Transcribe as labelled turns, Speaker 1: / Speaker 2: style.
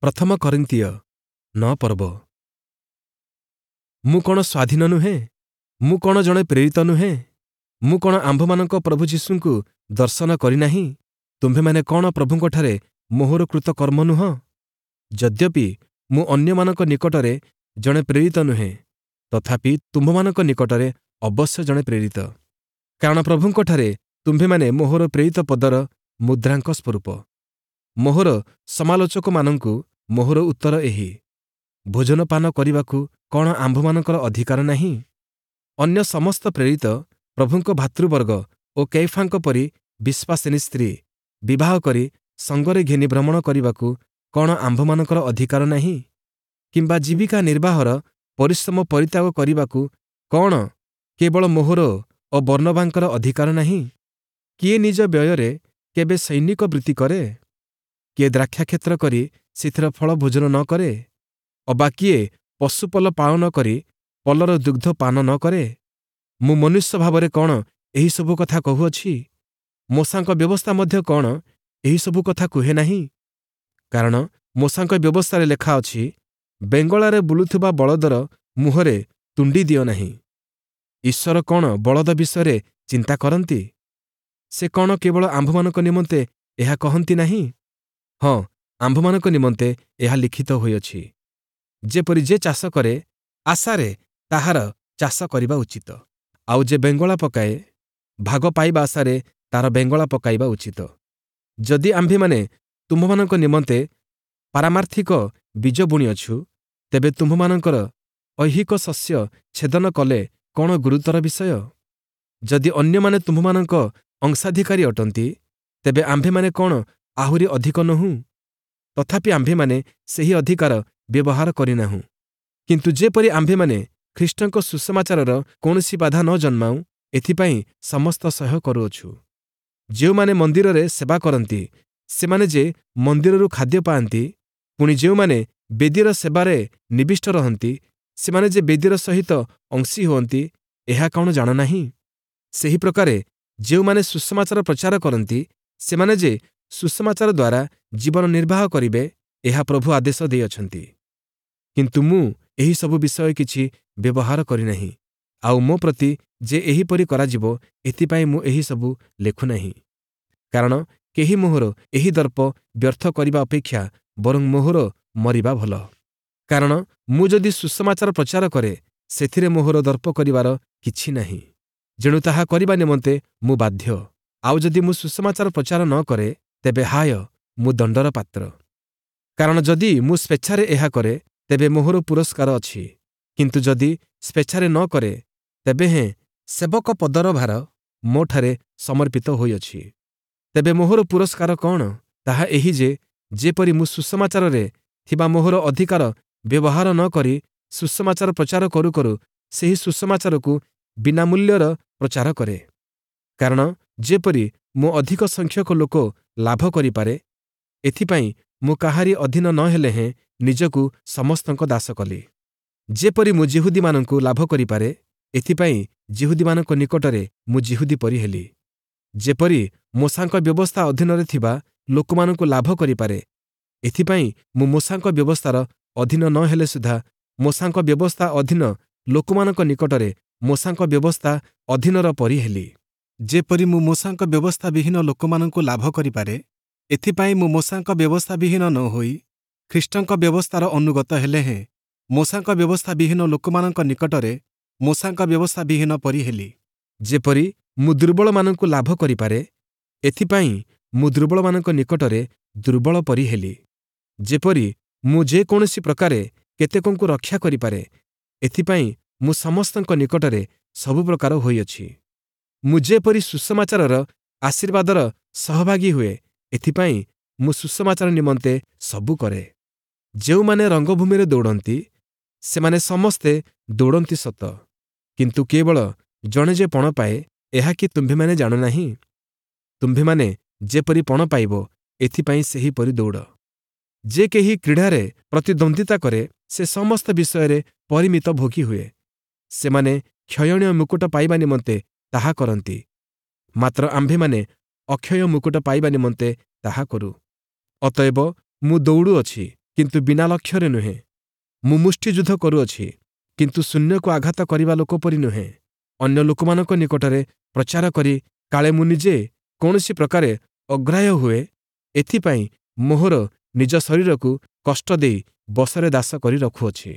Speaker 1: ପ୍ରଥମ କରିନ୍ଥୀୟ 9 ପର୍ବ। ମୁଁ କ'ଣ ସ୍ୱାଧୀନ ନୁହେଁ? ମୁଁ କ'ଣ ଜଣେ ପ୍ରେରିତ ନୁହେଁ? ମୁଁ କ'ଣ ଆମ୍ଭମାନଙ୍କ ପ୍ରଭୁ ଯୀଶୁଙ୍କୁ ଦର୍ଶନ କରିନାହିଁ? ତୁମ୍ଭେମାନେ କ'ଣ ପ୍ରଭୁଙ୍କଠାରେ ମୋହର କୃତ କର୍ମ ନୁହଁ? ଯଦ୍ୟପି ମୁଁ ଅନ୍ୟମାନଙ୍କ ନିକଟରେ ଜଣେ ପ୍ରେରିତ ନୁହେଁ, ତଥାପି ତୁମ୍ଭମାନଙ୍କ ନିକଟରେ ଅବଶ୍ୟ ଜଣେ ପ୍ରେରିତ। କାରଣ ପ୍ରଭୁଙ୍କଠାରେ ତୁମ୍ଭେମାନେ ମୋହର ପ୍ରେରିତ ପଦର ମୁଦ୍ରାଙ୍କ ସ୍ୱରୂପ। ମୋହର ସମାଲୋଚକମାନଙ୍କୁ ମୋହର ଉତ୍ତର ଏହି: ଭୋଜନପାନ କରିବାକୁ କ'ଣ ଆମ୍ଭମାନଙ୍କର ଅଧିକାର ନାହିଁ? ଅନ୍ୟ ସମସ୍ତ ପ୍ରେରିତ, ପ୍ରଭୁଙ୍କ ଭ୍ରାତୃବର୍ଗ ଓ କେଫାଙ୍କ ପରି ବିଶ୍ୱାସିନୀ ସ୍ତ୍ରୀ ବିବାହ କରି ସଙ୍ଗରେ ଘେନି ଭ୍ରମଣ କରିବାକୁ କ'ଣ ଆମ୍ଭମାନଙ୍କର ଅଧିକାର ନାହିଁ? କିମ୍ବା ଜୀବିକା ନିର୍ବାହର ପରିଶ୍ରମ ପରିତ୍ୟାଗ କରିବାକୁ କ'ଣ କେବଳ ମୋହର ଓ ବର୍ଣ୍ଣବାଙ୍କର ଅଧିକାର ନାହିଁ? କିଏ ନିଜ ବ୍ୟୟରେ କେବେ ସୈନିକ ବୃତ୍ତି କରେ? କିଏ ଦ୍ରାକ୍ଷାକ୍ଷେତ୍ର କରି ସେଥିର ଫଳ ଭୋଜନ ନ କରେ? ଅବା କିଏ ପଶୁପଲ ପାଳନ କରି ପଲର ଦୁଗ୍ଧ ପାନ ନ କରେ? ମୁଁ ମନୁଷ୍ୟ ଭାବରେ କ'ଣ ଏହିସବୁ କଥା କହୁଅଛି? ମୋଶାଙ୍କ ବ୍ୟବସ୍ଥା ମଧ୍ୟ କ'ଣ ଏହିସବୁ କଥା କୁହେ ନାହିଁ? କାରଣ ମୋଶାଙ୍କ ବ୍ୟବସ୍ଥାରେ ଲେଖା ଅଛି, ବେଙ୍ଗଳାରେ ବୁଲୁଥିବା ବଳଦର ମୁହଁରେ ତୁଣ୍ଡି ଦିଅ ନାହିଁ। ଈଶ୍ୱର କ'ଣ ବଳଦ ବିଷୟରେ ଚିନ୍ତା କରନ୍ତି? ସେ କ'ଣ କେବଳ ଆମ୍ଭମାନଙ୍କ ନିମନ୍ତେ ଏହା କହନ୍ତି ନାହିଁ? ହଁ, ଆମ୍ଭମାନଙ୍କ ନିମନ୍ତେ ଏହା ଲିଖିତ ହୋଇଅଛି, ଯେପରି ଯେ ଚାଷ କରେ, ଆଶାରେ ତାହାର ଚାଷ କରିବା ଉଚିତ, ଆଉ ଯେ ବେଙ୍ଗଳା ପକାଏ, ଭାଗ ପାଇବା ଆଶାରେ ତାର ବେଙ୍ଗଳା ପକାଇବା ଉଚିତ। ଯଦି ଆମ୍ଭେମାନେ ତୁମ୍ଭମାନଙ୍କ ନିମନ୍ତେ ପାରମାର୍ଥିକ ବୀଜ ବୁଣିଅଛୁ, ତେବେ ତୁମ୍ଭମାନଙ୍କର ଐହିକ ଶସ୍ୟ ଛେଦନ କଲେ କ'ଣ ଗୁରୁତର ବିଷୟ? ଯଦି ଅନ୍ୟମାନେ ତୁମ୍ଭମାନଙ୍କ ଅଂଶାଧିକାରୀ ଅଟନ୍ତି, ତେବେ ଆମ୍ଭେମାନେ କ'ଣ ଆହୁରି ଅଧିକ ନୋହୁଁ? ତଥାପି ଆମ୍ଭେମାନେ ସେହି ଅଧିକାର ବ୍ୟବହାର କରିନାହୁଁ। କିନ୍ତୁ ଯେପରି ଆମ୍ଭେମାନେ ଖ୍ରୀଷ୍ଟଙ୍କ ସୁସମାଚାରର କୌଣସି ବାଧା ନ ଜନ୍ମାଉ, ଏଥିପାଇଁ ସମସ୍ତ ସହ୍ୟ କରୁଅଛୁ। ଯେଉଁମାନେ ମନ୍ଦିରରେ ସେବା କରନ୍ତି, ସେମାନେ ଯେ ମନ୍ଦିରରୁ ଖାଦ୍ୟ ପାଆନ୍ତି, ପୁଣି ଯେଉଁମାନେ ବେଦୀର ସେବାରେ ନିବିଷ୍ଟ ରହନ୍ତି, ସେମାନେ ଯେ ବେଦୀର ସହିତ ଅଂଶୀ ହୁଅନ୍ତି, ଏହା କ'ଣ ଜାଣ ନାହିଁ? ସେହି ପ୍ରକାରେ ଯେଉଁମାନେ ସୁସମାଚାର ପ୍ରଚାର କରନ୍ତି, ସେମାନେ ଯେ ସୁସମାଚାର ଦ୍ୱାରା ଜୀବନ ନିର୍ବାହ କରିବେ, ଏହା ପ୍ରଭୁ ଆଦେଶ ଦେଇଅଛନ୍ତି। କିନ୍ତୁ ମୁଁ ଏହିସବୁ ବିଷୟ କିଛି ବ୍ୟବହାର କରିନାହିଁ, ଆଉ ମୋ ପ୍ରତି ଯେ ଏହିପରି କରାଯିବ, ଏଥିପାଇଁ ମୁଁ ଏହିସବୁ ଲେଖୁନାହିଁ। କାରଣ କେହି ମୋହର ଏହି ଦର୍ପ ବ୍ୟର୍ଥ କରିବା ଅପେକ୍ଷା ବରଂ ମୋହର ମରିବା ଭଲ। କାରଣ ମୁଁ ଯଦି ସୁସମାଚାର ପ୍ରଚାର କରେ, ସେଥିରେ ମୋହର ଦର୍ପ କରିବାର କିଛି ନାହିଁ, ଯେଣୁ ତାହା କରିବା ନିମନ୍ତେ ମୁଁ ବାଧ୍ୟ। ଆଉ ଯଦି ମୁଁ ସୁସମାଚାର ପ୍ରଚାର ନ କରେ, ତେବେ ହାୟ, ମୁଁ ଦଣ୍ଡର ପାତ୍ର। କାରଣ ଯଦି ମୁଁ ସ୍ୱେଚ୍ଛାରେ ଏହା କରେ, ତେବେ ମୋହର ପୁରସ୍କାର ଅଛି, କିନ୍ତୁ ଯଦି ସ୍ୱେଚ୍ଛାରେ ନ କରେ, ତେବେ ହେଁ ସେବକ ପଦର ଭାର ମୋଠାରେ ସମର୍ପିତ ହୋଇଅଛି। ତେବେ ମୋହର ପୁରସ୍କାର କ'ଣ? ତାହା ଏହି ଯେ, ଯେପରି ମୁଁ ସୁସମାଚାରରେ ଥିବା ମୋହର ଅଧିକାର ବ୍ୟବହାର ନ କରି ସୁସମାଚାର ପ୍ରଚାର କରୁ କରୁ ସେହି ସୁସମାଚାରକୁ ବିନା ମୂଲ୍ୟର ପ୍ରଚାର କରେ। କାରଣ ଯେପରି ମୁଁ ଅଧିକ ସଂଖ୍ୟକ ଲୋକ ଲାଭ କରିପାରେ, ଏଥିପାଇଁ ମୁଁ କାହାରି ଅଧୀନ ନ ହେଲେ ହେଁ ନିଜକୁ ସମସ୍ତଙ୍କ ଦାସ କଲି। ଯେପରି ମୁଁ ଯିହୁଦୀମାନଙ୍କୁ ଲାଭ କରିପାରେ, ଏଥିପାଇଁ ଯିହୁଦୀମାନଙ୍କ ନିକଟରେ ମୁଁ ଯିହୁଦୀ ପରି ହେଲି। ଯେପରି ମୋଶାଙ୍କ ବ୍ୟବସ୍ଥା ଅଧୀନରେ ଥିବା ଲୋକମାନଙ୍କୁ ଲାଭ କରିପାରେ, ଏଥିପାଇଁ ମୁଁ ମୋଶାଙ୍କ ବ୍ୟବସ୍ଥାର ଅଧୀନ ନ ହେଲେ ସୁଦ୍ଧା ମୋଶାଙ୍କ ବ୍ୟବସ୍ଥା ଅଧୀନ ଲୋକମାନଙ୍କ ନିକଟରେ ମୋଶାଙ୍କ ବ୍ୟବସ୍ଥା ଅଧୀନର ପରି ହେଲି।
Speaker 2: ଯେପରି ମୁଁ ମୋଶାଙ୍କ ବ୍ୟବସ୍ଥାବିହୀନ ଲୋକମାନଙ୍କୁ ଲାଭ କରିପାରେ, ଏଥିପାଇଁ ମୁଁ ମୋଶାଙ୍କ ବ୍ୟବସ୍ଥାବିହୀନ ନ ହୋଇ ଖ୍ରୀଷ୍ଟଙ୍କ ବ୍ୟବସ୍ଥାର ଅନୁଗତ ହେଲେ ହେଁ ମୋଶାଙ୍କ ବ୍ୟବସ୍ଥାବିହୀନ ଲୋକମାନଙ୍କ ନିକଟରେ ମୋଶାଙ୍କ ବ୍ୟବସ୍ଥାବିହୀନ ପରି ହେଲି।
Speaker 1: ଯେପରି ମୁଁ ଦୁର୍ବଳମାନଙ୍କୁ ଲାଭ କରିପାରେ, ଏଥିପାଇଁ ମୁଁ ଦୁର୍ବଳମାନଙ୍କ ନିକଟରେ ଦୁର୍ବଳ ପରି ହେଲି। ଯେପରି ମୁଁ ଯେକୌଣସି ପ୍ରକାରେ କେତେକଙ୍କୁ ରକ୍ଷା କରିପାରେ, ଏଥିପାଇଁ ମୁଁ ସମସ୍ତଙ୍କ ନିକଟରେ ସବୁ ପ୍ରକାର ହୋଇଅଛି। ମୁଁ ଯେପରି ସୁସମାଚାରର ଆଶୀର୍ବାଦର ସହଭାଗୀ ହୁଏ, ଏଥିପାଇଁ ମୁଁ ସୁସମାଚାର ନିମନ୍ତେ ସବୁ କରେ। ଯେଉଁମାନେ ରଙ୍ଗଭୂମିରେ ଦୌଡ଼ନ୍ତି, ସେମାନେ ସମସ୍ତେ ଦୌଡ଼ନ୍ତି ସତ, କିନ୍ତୁ କେବଳ ଜଣେ ଯେ ପଣ ପାଏ, ଏହା କି ତୁମ୍ଭେମାନେ ଜାଣ ନାହିଁ? ତୁମ୍ଭେମାନେ ଯେପରି ପଣ ପାଇବ, ଏଥିପାଇଁ ସେହିପରି ଦୌଡ଼। ଯେ କେହି କ୍ରୀଡ଼ାରେ ପ୍ରତିଦ୍ୱନ୍ଦ୍ୱିତା କରେ, ସେ ସମସ୍ତ ବିଷୟରେ ପରିମିତ ଭୋଗୀ ହୁଏ। ସେମାନେ କ୍ଷୟଣୀୟ ମୁକୁଟ ପାଇବା ନିମନ୍ତେ ତାହା କରନ୍ତି, ମାତ୍ର ଆମ୍ଭେମାନେ ଅକ୍ଷୟ ମୁକୁଟ ପାଇବା ନିମନ୍ତେ ତାହା କରୁ। ଅତଏବ ମୁଁ ଦୌଡ଼ୁଅଛି, କିନ୍ତୁ ବିନା ଲକ୍ଷ୍ୟରେ ନୁହେଁ। ମୁଁ ମୁଷ୍ଟିଯୁଦ୍ଧ କରୁଅଛି, କିନ୍ତୁ ଶୂନ୍ୟକୁ ଆଘାତ କରିବା ଲୋକ ପରି ନୁହେଁ। ଅନ୍ୟ ଲୋକମାନଙ୍କ ନିକଟରେ ପ୍ରଚାର କରି କାଳେ ମୁଁ ନିଜେ କୌଣସି ପ୍ରକାରେ ଅଗ୍ରାହ୍ୟ ହୁଏ, ଏଥିପାଇଁ ମୋହର ନିଜ ଶରୀରକୁ କଷ୍ଟ ଦେଇ ବଶରେ ଦାସ କରି ରଖୁଅଛି।